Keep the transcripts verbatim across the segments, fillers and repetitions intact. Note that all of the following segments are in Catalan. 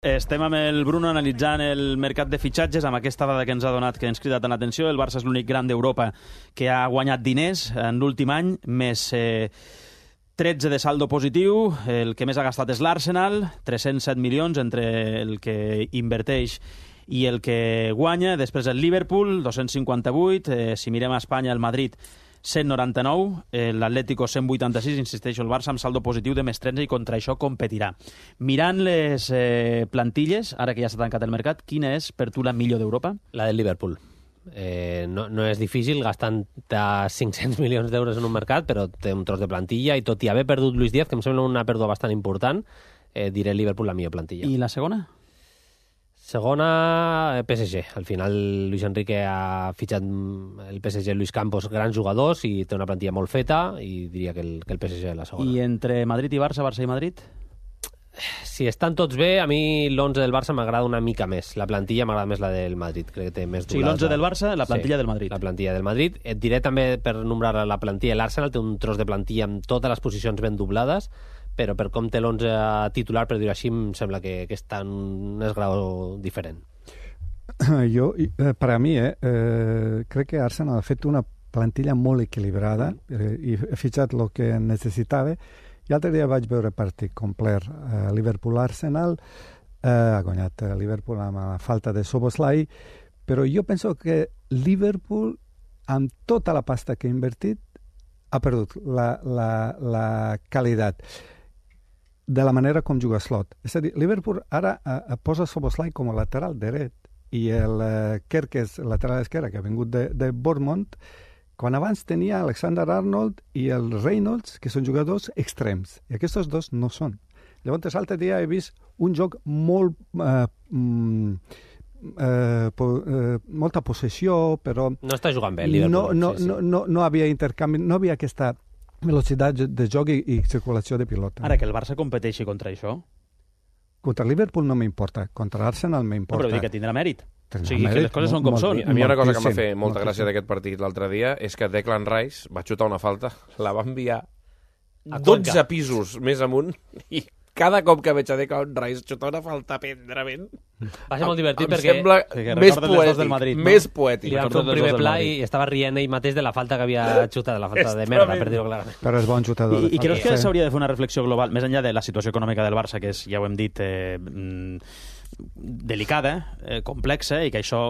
Estem amb el Bruno analitzant el mercat de fitxatges, amb aquesta dada que ens ha donat, que ens crida tant l'atenció. El Barça és l'únic gran d'Europa que ha guanyat diners en l'últim any, més eh, tretze de saldo positiu. El que més ha gastat és l'Arsenal, tres-cents set milions entre el que inverteix i el que guanya. Després el Liverpool, dos-cents cinquanta-vuit. Eh, si mirem a Espanya, el Madrid, cent noranta-nou, l'Atlético cent vuitanta-sis, insisteixo, el Barça amb saldo positiu de més tretze i contra això competirà. Mirant les eh, plantilles, ara que ja s'ha tancat el mercat, quina és per tu la millor d'Europa? La del Liverpool. Eh, no, no és difícil, gastant cinc-cents milions d'euros en un mercat, però té un tros de plantilla i tot i haver perdut Luis Díaz, que em sembla una pèrdua bastant important, eh, diré Liverpool la millor plantilla. I la segona? Segona, P S G. Al final, Luis Enrique ha fitxat el P S G Luis Campos, grans jugadors, i té una plantilla molt feta, i diria que el, que el P S G és la segona. I entre Madrid i Barça, Barça i Madrid? Si estan tots bé, a mi l'onze del Barça m'agrada una mica més. La plantilla m'agrada més la del Madrid. Crec que té més doblada. O sigui, l'onze del Barça, la plantilla sí, del Madrid. La plantilla del Madrid. Et diré també, per nombrar la plantilla, l'Arsenal té un tros de plantilla amb totes les posicions ben doblades, però per com té l'onze titular, per dir-ho així, em sembla que, que està en un esgrau diferent. Jo, eh, per a mi, eh, eh, crec que Arsenal ha fet una plantilla molt equilibrada eh, i ha fitxat el que necessitava. I l'altre dia vaig veure partit complet eh, Liverpool-Arsenal, eh, ha guanyat eh, Liverpool amb la falta de Szoboszlai, però jo penso que Liverpool, amb tota la pasta que ha invertit, ha perdut la, la, la qualitat de la manera com juga Slot. És a dir, Liverpool ara eh, posa Szoboszlai com a lateral dret i el eh, Kerkez, lateral esquerre, que ha vingut de, de Bournemouth, quan abans tenia Alexander Arnold i el Reynolds, que són jugadors extrems. I aquests dos no són. Llavors, l'altre dia he vist un joc molt... Eh, mm, Eh, po, eh, molta possessió, però no està jugant bé el Liverpool. No, no, sí, sí. no, no, no havia intercanvi, no havia aquesta velocitat de joc i, i circulació de pilota. Ara que el Barça competeixi contra això? Contra el Liverpool no m'importa, contra l'Arsenal m'importa. No, però dic que tindrà mèrit. Tindrà o sigui, mèrit, que les coses són com molt, són. A mi hi ha una cosa que em va fer molta gràcia d'aquest partit l'altre dia, és que Declan Rice va xutar una falta, la va enviar a dotze pisos més amunt i cada cop que veig a Declan Rice xutar una falta tendrament, va ser molt divertit em perquè sembla sí, més poètic, del Madrid, no? més poètic. Li van fer un primer pla i estava rient ell mateix de la falta que havia xutat, de la falta de merda, per dir-ho clarament. Però és bon xutador. I, i creus que s'hauria de fer una reflexió global, més enllà de la situació econòmica del Barça, que és, ja ho hem dit, eh, delicada, eh, complexa, i que això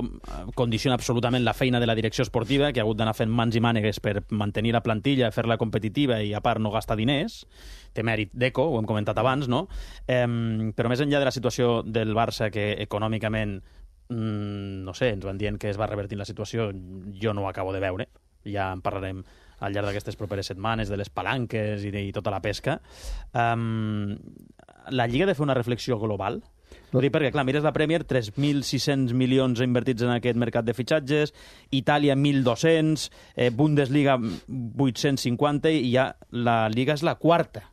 condiciona absolutament la feina de la direcció esportiva, que ha hagut d'anar fent mans i mànegues per mantenir la plantilla, fer-la competitiva i, a part, no gastar diners. Té mèrit Deco, ho hem comentat abans, no? Eh, però més enllà de la situació del Barça, que econòmicament, mm, no sé, ens van dient que es va revertir la situació, jo no ho acabo de veure. Ja en parlarem al llarg d'aquestes properes setmanes, de les palanques i, de, i tota la pesca. Um, la Lliga ha de fer una reflexió global? Ho dic perquè, clar, mires la Premier, tres mil sis-cents milions invertits en aquest mercat de fitxatges, Itàlia mil dos-cents, eh, Bundesliga vuit-cents cinquanta, i ja la Lliga és la quarta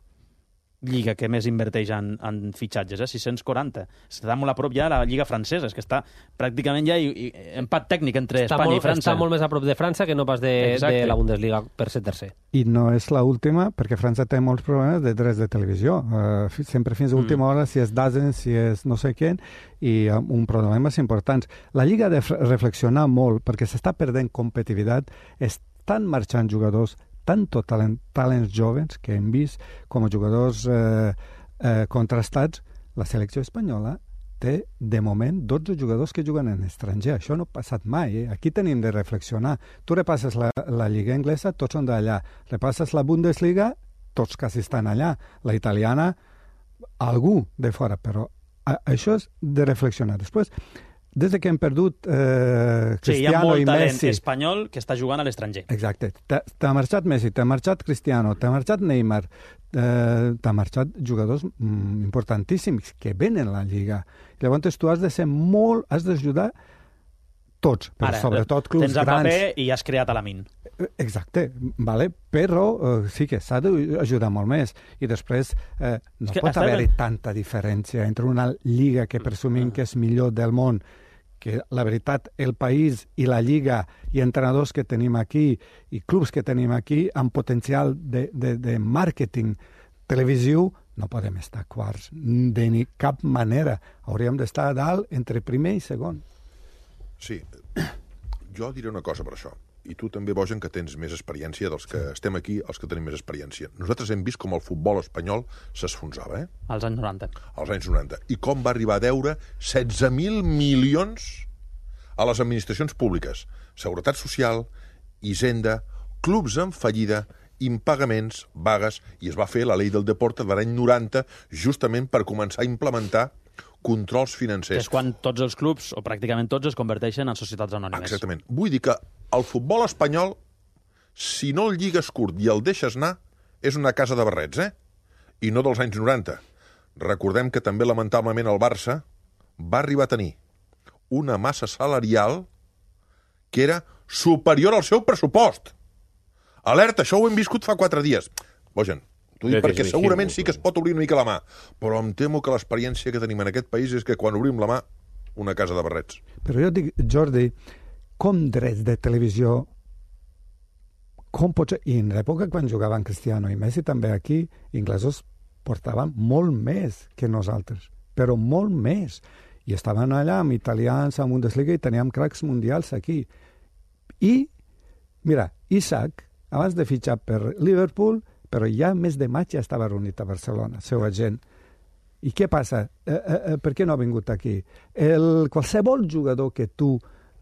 lliga que més inverteix en, en fitxatges, eh? sis-cents quaranta. Està molt a prop ja la Lliga francesa, és que està pràcticament ja i, i, empat tècnic entre està Espanya molt, i França. Està molt més a prop de França que no pas de, de la Bundesliga per ser tercer. I no és l'última, perquè França té molts problemes de drets de televisió. Uh, sempre fins a última hora, si és Dazen, si és no sé què, i uh, un problemes importants. La Lliga ha de reflexionar molt, perquè s'està perdent competitivitat, estan marxant jugadors tanto talent, talents joves que hem vist com a jugadors eh, eh, contrastats. La selecció espanyola té, de moment, dotze jugadors que juguen en estranger. Això no ha passat mai. Eh? Aquí tenim de reflexionar. Tu repasses la, la Lliga anglesa, tots són d'allà. Repasses la Bundesliga, tots quasi estan allà. La italiana, algú de fora. Però a, això és de reflexionar. Després, des que hem perdut eh, Cristiano i Messi... Sí, hi ha molt talent espanyol que està jugant a l'estranger. Exacte. T'ha marxat Messi, t'ha marxat Cristiano, t'ha marxat Neymar, eh, t'ha marxat jugadors mm, importantíssims que venen a la Lliga. Llavors tu has de ser molt... has d'ajudar tots, però ara, sobretot clubs tens el grans. paper i has creat a la min. Exacte, vale? Però eh, sí que s'ha d'ajudar molt més. I després eh, no pot haver-hi tanta diferència entre una lliga que presumim que és millor del món, que la veritat, el país i la lliga i entrenadors que tenim aquí i clubs que tenim aquí amb potencial de, de, de màrqueting televisiu no podem estar quarts de ni cap manera. Hauríem d'estar a dalt entre primer i segon. Sí, jo diré una cosa per això. I tu també, Bojan, que tens més experiència dels que estem aquí, els que tenim més experiència. Nosaltres hem vist com el futbol espanyol s'esfonsava, eh? Als anys noranta. Als anys noranta. I com va arribar a deure setze mil milions a les administracions públiques. Seguretat Social, Hisenda, clubs en fallida, impagaments, vagues, i es va fer la llei del deporte de l'any noranta justament per començar a implementar controls financers. És quan tots els clubs, o pràcticament tots, es converteixen en societats anònimes. Exactament. Vull dir que el futbol espanyol, si no el lligues curt i el deixes anar, és una casa de barrets, eh? I no dels anys noranta. Recordem que també, lamentablement, el Barça va arribar a tenir una massa salarial que era superior al seu pressupost. Alerta, això ho hem viscut fa quatre dies. Bojan, t'ho dic perquè segurament sí que es pot obrir una mica la mà, però em temo que l'experiència que tenim en aquest país és que quan obrim la mà, una casa de barrets. Però jo dic, Jordi, com drets de televisió, com pots... I en l'època quan jugaven Cristiano i Messi també aquí, inglesos portaven molt més que nosaltres, però molt més. I estaven allà amb italians a Bundesliga i teníem cracs mundials aquí. I, mira, Isaac, abans de fitxar per Liverpool, però ja el mes de maig ja estava reunit a Barcelona, seu agent. I què passa? Eh, eh, per què no ha vingut aquí? El, qualsevol jugador que tu,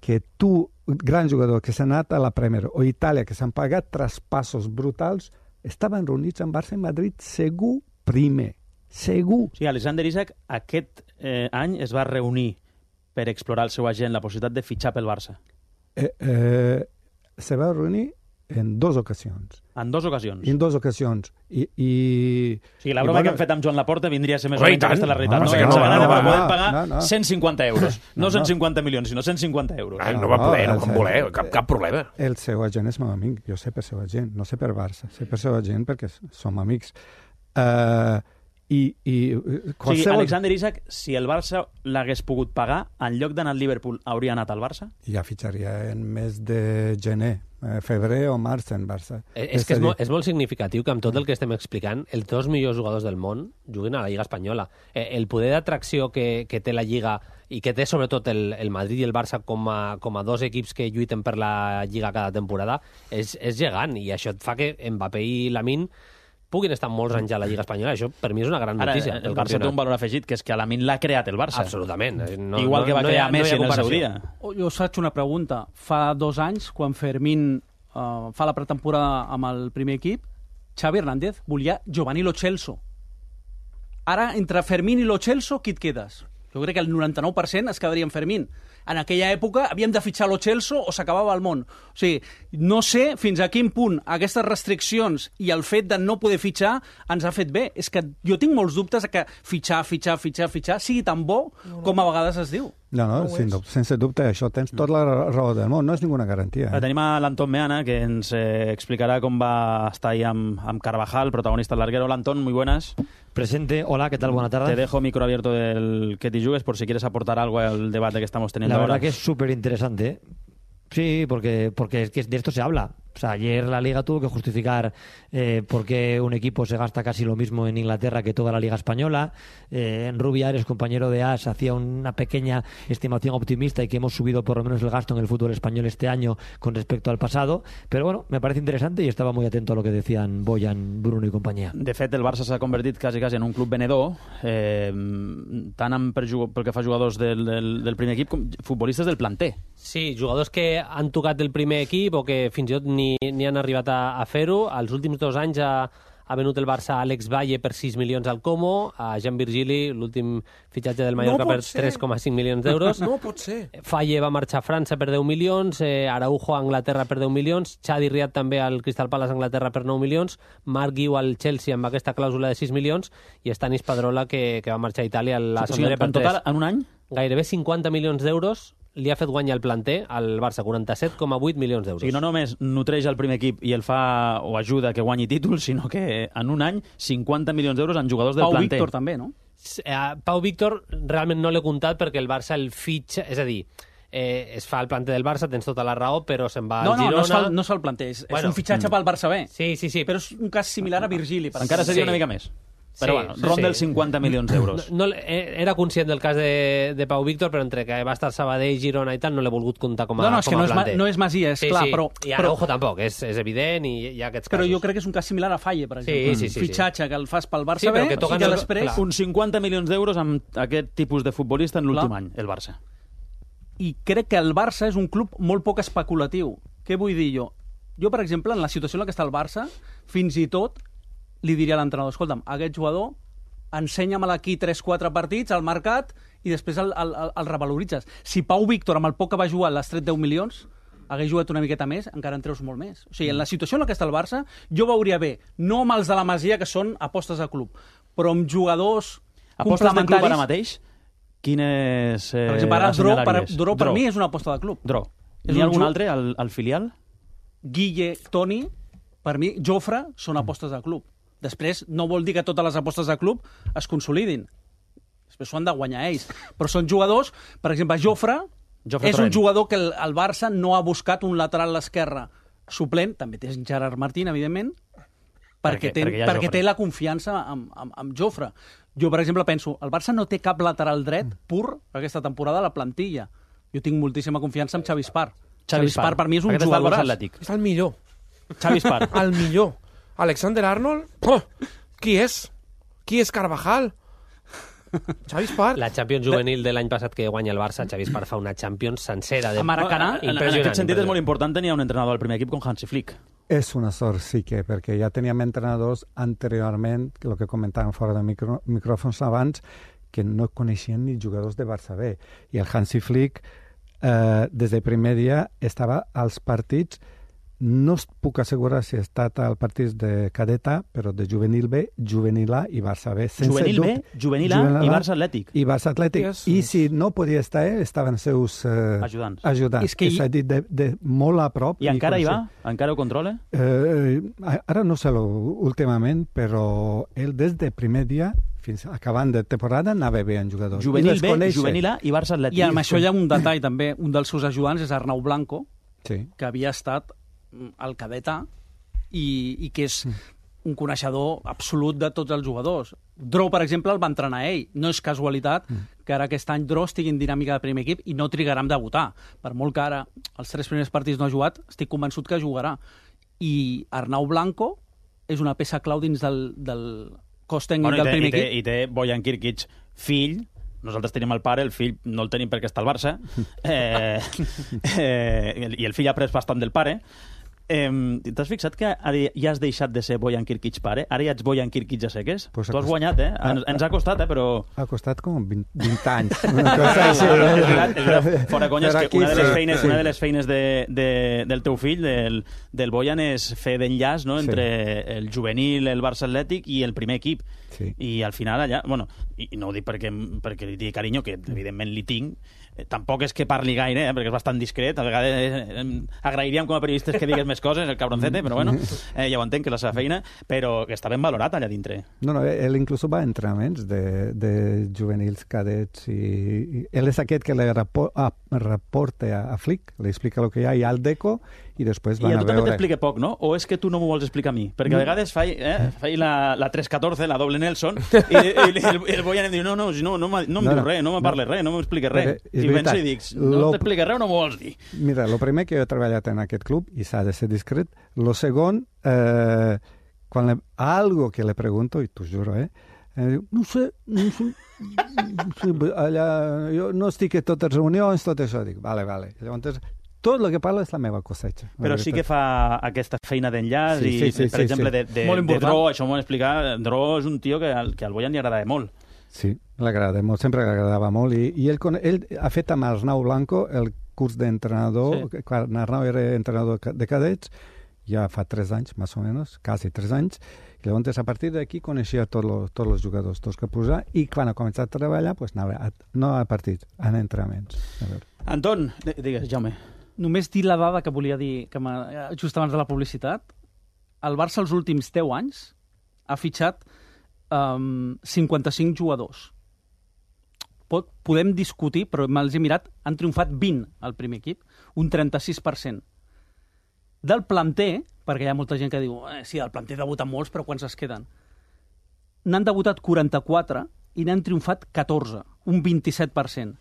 que tu, gran jugador que s'ha anat a la Premier o Itàlia, que s'han pagat traspassos brutals, estaven reunits en Barça i Madrid segur primer. Segur. Sí, Alexander Isak aquest eh, any es va reunir per explorar el seu agent la possibilitat de fitxar pel Barça. Eh, eh, se va reunir en dues ocasions. En dues ocasions. En dues ocasions. I, i... O sigui, la broma I, bueno, que hem fet amb Joan Laporta vindria a ser més oh, o menys aquesta la realitat. no, No, no, no, no, no, no, no, podem no, pagar no, no. cent cinquanta euros. No, No, no. cent cinquanta milions, sinó cent cinquanta euros. Ai, no va poder, no, el van seu- voler, cap, cap problema. El seu agent és meu amic. Jo sé per seu agent, no sé per Barça. Sé per seu agent perquè som amics. Uh, i, i O qualsevol... sigui, Alexander Isak, si el Barça l'hagués pogut pagar, en lloc d'anar al Liverpool, hauria anat al Barça? Ja fitxaria en mes de gener, eh, febrer o març en Barça. Eh, És que és molt, és molt significatiu que amb tot el que estem explicant, els dos millors jugadors del món juguin a la Lliga Espanyola. Eh, el poder d'atracció que, que té la Lliga i que té sobretot el, el Madrid i el Barça com a, com a dos equips que lluiten per la Lliga cada temporada és, és gegant, i això et fa que Mbappé i Lamine puguin estar molts anys a la Lliga Espanyola. Això per mi és una gran Ara, notícia. el Barça té un valor afegit, que és que a Lamine l'ha creat el Barça. Absolutament. No, Igual que va no, no hi crear ha- no hi ha Messi en el seu comparació. dia. Oh, jo us faig una pregunta. Fa dos anys, quan Fermín uh, fa la pretemporada amb el primer equip, Xavi Hernández volia Giovanni Lo Celso. Ara, entre Fermín i Lo Celso, qui et quedes? Jo crec que el noranta-nou per cent es quedaria en Fermín. En aquella època havíem de fitxar Lo Celso o s'acabava el món. O sigui, no sé fins a quin punt aquestes restriccions i el fet de no poder fitxar ens ha fet bé. És que jo tinc molts dubtes que fitxar, fitxar, fitxar, fitxar sigui tan bo com a vegades es diu. No, no, sin, sense dubte, això tens tota la raó del món, no és ninguna garantia. Ara Eh? tenim a l'Anton Meana, que ens eh, explicarà com va estar ahí amb, amb Carvajal, protagonista del larguero. Hola, Antón, muy buenas. Presente, hola, ¿qué tal? Buenas Te tardes. dejo micro abierto del que te jugues por si quieres aportar algo al debate que estamos teniendo La ahora. verdad que es súper interesante. Sí, porque, porque es que de esto se habla. O sea, ayer la Liga tuvo que justificar eh, por qué un equipo se gasta casi lo mismo en Inglaterra que toda la Liga Española. Eh, en Rubiares, compañero de A S, hacía una pequeña estimación optimista y que hemos subido por lo menos el gasto en el fútbol español este año con respecto al pasado. Pero bueno, me parece interesante y estaba muy atento a lo que decían Boyan, Bruno y compañía. De fet, el Barça s'ha convertit quasi, quasi en un club venedor, eh, tant amb, per, jug- pel que fa a jugadors del, del, del primer equip com futbolistes del planter. Sí, jugadors que han tocat el primer equip o que fins i tot ni, ni han arribat a, a fer-ho. Els últims dos anys ha, ha venut el Barça a Alex Valle per sis milions al Como, a Jean Virgili, l'últim fitxatge del Mallorca, No pot per ser. tres coma cinc milions d'euros. No pot ser. Falle va marxar a França per deu milions, eh, Araujo a Anglaterra per deu milions, Chadi Riad també al Crystal Palace a Anglaterra per nou milions, Marc Guiu al Chelsea amb aquesta clàusula de sis milions i Stanis Padrola que, que va marxar a Itàlia a la O sigui, Sampdoria per en total, tres. en un any, Gairebé cinquanta milions d'euros li ha fet guanyar el planter al Barça, quaranta-set coma vuit milions o d'euros. sigui, no només nutreix el primer equip i el fa o ajuda que guanyi títols, sinó que en un any cinquanta milions d'euros en jugadors del Pau planter. Víctor també, no? Eh, Pau Víctor realment no l'he comptat perquè el Barça el fitxa, és a dir, eh, es fa el planter del Barça, tens tota la raó, però se'n va No, al no, Girona... no es fa, el- no es fa el planter, és, Bueno, és un fitxatge pel Barça B. Sí, sí, sí. Però és un cas similar a Virgili. Per Encara exemple. seria Sí. una mica més. Però bueno, ronda els cinquanta milions d'euros. No, no, era conscient del cas de, de Pau Víctor, però entre que va estar Sabadell, Girona i tal, no l'he volgut comptar com a, no, no, és com que a no és, ma, planter. no és Masia, és sí, clar, sí. però... I però Araujo tampoc, és, és evident i hi ha aquests però casos. jo crec que és un cas similar a Falle, per exemple. Sí, sí, sí, Fitxatge que el fas pel Barça Sí, però B que toquen i que el- després... clar. Uns cinquanta milions d'euros amb aquest tipus de futbolista en l'últim Clar. any, el Barça. I crec que el Barça és un club molt poc especulatiu. Què vull dir jo? Jo, per exemple, en la situació en la que està el Barça, fins i tot li diria a l'entrenador, escolta'm, aquest jugador ensenya-me'l aquí tres quatre partits al mercat i després el, el, el, el revaloritzes. Si Pau Víctor, amb el poc que va jugar, l'has tret deu milions, hagués jugat una miqueta més, encara en treus molt més. O sigui, en la situació en la que està el Barça, jo veuria bé, no amb els de la Masia, que són apostes de club, però amb jugadors Apostes de club complementaris... ara mateix? Quines eh, Per exemple, ara Dro, per, assenyalaries? Dro, per mi és una aposta de club. Dro. És N'hi ha un algun ju- altre al, al filial? Guille, Toni, per mi, Jofre, són apostes de club. Després, no vol dir que totes les apostes de club es consolidin. Després s'ho han de guanyar ells. Però són jugadors, per exemple, Jofre, Jofre és Torrent. un jugador que el, el Barça no ha buscat un lateral a l'esquerra suplent, també té Gerard Martín, evidentment, perquè, Perquè- té, perquè hi ha perquè Jofre. té la confiança amb, amb, amb Jofre. Jo, per exemple, penso, el Barça no té cap lateral dret pur aquesta temporada a la plantilla. Jo tinc moltíssima confiança en Xavi Espar. Xavi Espar per mi és un Aquest està al jugador. Barça Atlètic. És el millor. Xavi Espar. El millor. Alexander Arnold? Oh, qui és? Qui és Carvajal? Xavi Espar? La Champions juvenil de l'any passat que guanya el Barça, Xavi Espar fa una Champions sencera de A Maracanà? En, en Impressionant, aquest sentit és molt impressionant. important tenir un entrenador al primer equip com Hansi Flick. És una sort, sí que, perquè ja teníem entrenadors anteriorment, que el que comentàvem fora de micro, micròfons abans, que no coneixien ni jugadors de Barça B. I el Hansi Flick, eh, des del primer dia, estava als partits, no us puc assegurar si ha estat al partit de cadeta, però de juvenil B, juvenil A i Barça B. Sense Juvenil B, dubte. Juvenil A i Barça Atlètic. I Barça Atlètic. Yes. I si no podia estar ell, estaven seus eh, Ajudants. ajudants. És que És a dir, de, de molt a prop. I encara hi va? coneixia. Encara ho controla? Eh, ara no sé lo, últimament, però ell des del primer dia fins acabant de temporada anava bé en jugadors. Juvenil I les B, coneix. Juvenil A i Barça Atlètic. I amb això hi ha un detall també. Un dels seus ajudants és Arnau Blanco, Sí. que havia estat al cadet A i, i que és un coneixedor absolut de tots els jugadors. Dro, per exemple, el va entrenar ell. No és casualitat que ara aquest any Dro estigui en dinàmica de primer equip i no trigarà en debutar. Per molt que ara els tres primers partits no ha jugat, estic convençut que jugarà. I Arnau Blanco és una peça clau dins del, del cos tècnic Bueno, i, del té, primer i, té, equip. I té Bojan Kirkic, fill. Nosaltres tenim el pare, el fill no el tenim perquè està al Barça. Eh, eh, I el fill ha pres bastant del pare. Eh, T'has fixat que ara ja has deixat de ser Bojan Kirkic pare? Ara ja ets Bojan Kirkic a seques? Pues tu has acost- guanyat, eh? Ens, ens ha costat, eh? Però... Ha costat com vint, vint anys. Una cosa així. és veritat, és veritat. Fora conya, és Però que aquí una de les sí, feines, sí. una de les feines de, de, del teu fill, del, del Bojan, és fer d'enllaç, no?, Sí. entre el juvenil, el Barça Atlètic i el primer equip. Sí. I al final allà, bueno, i, i no ho dic perquè, perquè li digui carinyo, que evidentment li tinc, eh, tampoc és que parli gaire, eh, perquè és bastant discret, a vegades eh, eh, agrairíem com a periodistes que digues més coses, el cabroncete, però bueno, eh, ja ho entenc, que és la seva feina, però que està ben valorat allà dintre. No, no, ell inclús va a entrenaments de, de juvenils, cadets, i, i ell és aquest que le rapo, a, reporta a, a Flick, li explica el que hi ha, i al Deco, i després I van a a tu també veure... t'explica poc, no? O és que tu no m'ho vols explicar a mi? Perquè a vegades faig, eh, faig la, la tres catorze, la doble Nelson, i, i el, el Bojan em diu, no, no, no, no, m'ha- no em No, diu no, res, no me no. parles res, no m'expliques res. Perquè és I penso veritat, i dic, no lo- t'expliques res o no m'ho vols dir? Mira, el primer que jo he treballat en aquest club, i s'ha de ser discret, lo segon, eh, quan le, algo que le pregunto, i t'ho juro, eh, eh, diu, no sé, no sé, no sé, allà, jo no estic a totes les reunions, tot això, dic, vale, vale. Llavors, tot el que parla és la meva cosecha. la Però sí veritat. que fa aquesta feina d'enllaç Sí, i, sí, sí, per sí, exemple, sí. de, de, Molt de important. Dro, això m'ho han explicat, Dro és un tio que, al- que al Bojan li agradava molt. Sí, l'agrada molt, sempre l'agradava molt, i, i ell, con- ell ha fet amb Arnau Blanco el curs d'entrenador, Sí. sí. quan Arnau era entrenador ca- de cadets, ja fa tres anys, més o menys, quasi tres anys, i llavors a partir d'aquí coneixia tots los, tots els jugadors, tots que posar, i quan ha començat a treballar, pues, anava a, no a partits, a entrenaments. A veure. Anton, di- digues, Jaume. Només dir la dada que volia dir que m'ha- just abans de la publicitat. El Barça els últims deu anys ha fitxat um, cinquanta-cinc jugadors. Pot, podem discutir, però me'ls he mirat, han triomfat vint al primer equip, un trenta-sis per cent. Del planter, perquè hi ha molta gent que diu eh, sí, del planter debuten molts, però quants es queden? n'han debutat quaranta-quatre i n'han triomfat catorze, un vint-i-set per cent.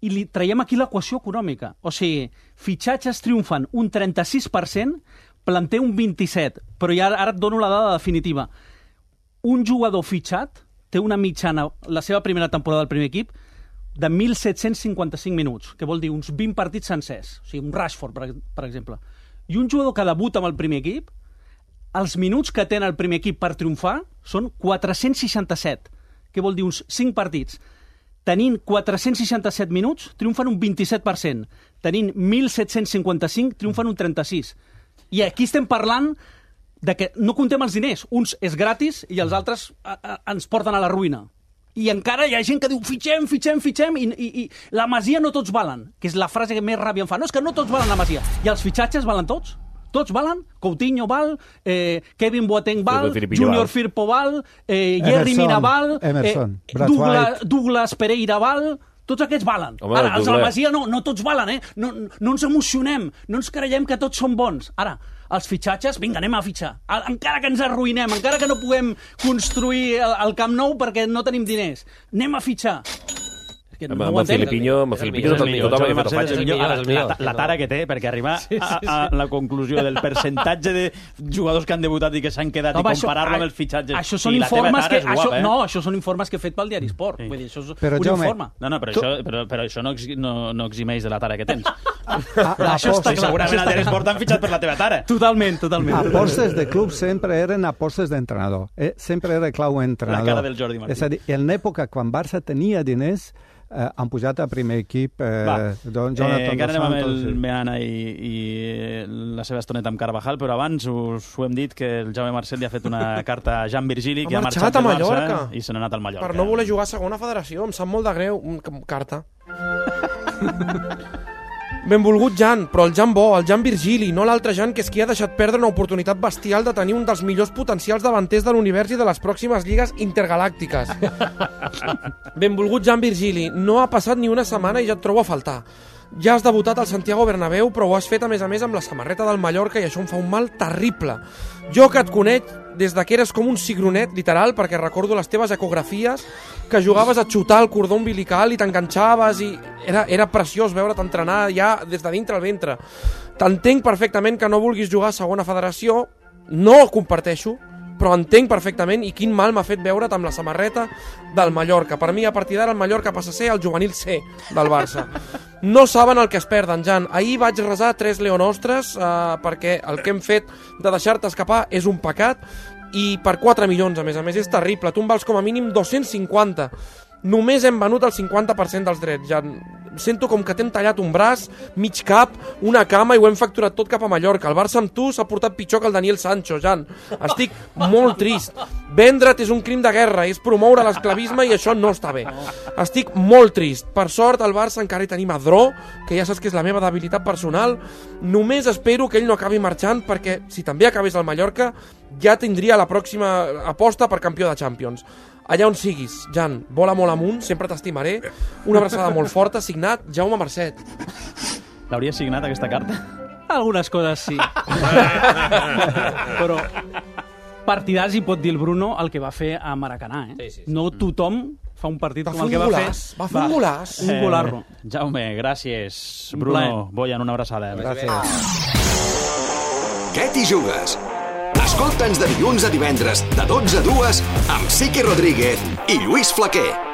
I li traiem aquí l'equació econòmica. O sigui, fitxatges triomfan un trenta-sis per cent, planter un vint-i-set, però ja ara et dono la dada definitiva. Un jugador fitxat té una mitjana, la seva primera temporada del primer equip, de mil set-cents cinquanta-cinc minuts, que vol dir uns vint partits sencers. O sigui, un Rashford, per, per exemple. I un jugador que debuta amb el primer equip, els minuts que té el primer equip per triomfar són quatre-cents seixanta-set, que vol dir uns cinc partits. Tenint quatre-cents seixanta-set minuts, triomfen un vint-i-set per cent. Tenint mil set-cents cinquanta-cinc, triomfen un trenta-sis. I aquí estem parlant de que no comptem els diners. Uns és gratis i els altres a, a, ens porten a la ruïna. I encara hi ha gent que diu fitxem, fitxem, fitxem, i, i, i la Masia no tots valen, que és la frase que més ràbia em fa. No, és que no tots valen la Masia. I els fitxatges valen tots? Tots valen? Coutinho val, eh, Kevin Boateng val, Junior val. Firpo val, eh, Jerry Mina val, Emerson, eh, Douglas, Douglas Pereira val, tots aquests valen. Home, ara, els de la Masia no, no tots valen, eh? No, no ens emocionem, no ens creiem que tots són bons. Ara, els fitxatges, vinga, anem a fitxar. Encara que ens arruïnem, encara que no puguem construir el, el Camp Nou perquè no tenim diners, anem a fitxar. Que no amb, amb Filipinho, amb Filipinho tothom havia fet el fatx. La, la tara que té, perquè arribar sí, sí, sí. A, a la conclusió del percentatge de jugadors que han debutat i que s'han quedat no, i comparar-lo amb els fitxatges. Això són informes que, això, guapa, eh? No, això són informes que he fet pel Diari Esport. Sí. Vull dir, això és però, un Jaume, informe. No, no, però, tu... això, però, però això no, no, no eximeix de la tara que tens. Ah, això està clar. Segurament al Diari Esport t'han fitxat per la teva tara. Totalment, totalment. Apostes de club sempre eren apostes d'entrenador. Eh? Sempre era clau entrenador. La cara del Jordi Martí. És a dir, en l'època quan Barça tenia diners, Eh, han pujat a primer equip eh, don Jonathan eh, encara dos anem amb el sí. Meana i, i la seva estoneta amb Carvajal, però abans us ho hem dit que el Jaume Marcel li ha fet una carta a Jean Virgili, que ha marxat, marxat a Mallorca i se n'ha anat al Mallorca. Per no voler jugar a segona federació, em sap molt de greu. Carta. Benvolgut Jan, però el Jan bo, el Jan Virgili, no l'altre Jan, que és qui ha deixat perdre una oportunitat bestial de tenir un dels millors potencials davanters de l'univers i de les pròximes lligues intergalàctiques. Benvolgut Jan Virgili, no ha passat ni una setmana i ja et trobo a faltar. Ja has debutat al Santiago Bernabéu, però ho has fet a més a més amb la samarreta del Mallorca i això em fa un mal terrible. Jo que et conec des de que eres com un cigronet, literal, perquè recordo les teves ecografies, que jugaves a xutar el cordó umbilical i t'enganxaves i era, era preciós veure't entrenar ja des de dintre el ventre. T'entenc perfectament que no vulguis jugar a segona federació, no ho comparteixo, però entenc perfectament i quin mal m'ha fet veure't amb la samarreta del Mallorca. Per mi, a partir d'ara, el Mallorca passa a ser el juvenil C del Barça. No saben el que es perden, Jan. Ahir vaig resar tres leonostres eh, perquè el que hem fet de deixar-te escapar és un pecat i per quatre milions, a més a més, és terrible. Tu em vals com a mínim dos-cents cinquanta. Només hem venut el cinquanta per cent dels drets, Jan. Sento com que t'hem tallat un braç, mig cap, una cama i ho hem facturat tot cap a Mallorca. El Barça amb tu s'ha portat pitjor que el Daniel Sancho, Jan. Estic molt trist. Vendre't és un crim de guerra, és promoure l'esclavisme i això no està bé. Estic molt trist. Per sort, al Barça encara hi tenim a Dró, que ja saps que és la meva debilitat personal. Només espero que ell no acabi marxant perquè, si també acabés al Mallorca, ja tindria la pròxima aposta per campió de Champions. Allà on siguis, Jan, vola molt amunt, sempre t'estimaré. Una abraçada molt forta, signat Jaume Marcet. L'hauria signat, aquesta carta? Algunes coses sí. Però partidars hi pot dir el Bruno el que va fer a Maracanà, eh? Sí, sí, sí. No tothom fa un partit va com el que va fer. Va fer un golaç. Un golarro. Eh, Jaume, gràcies. Bruno, Boyan, una abraçada. Gràcies. Què t'hi jugues? Escolta'ns de dilluns a divendres, de dotze a dues, amb Sique Rodríguez i Lluís Flaquer.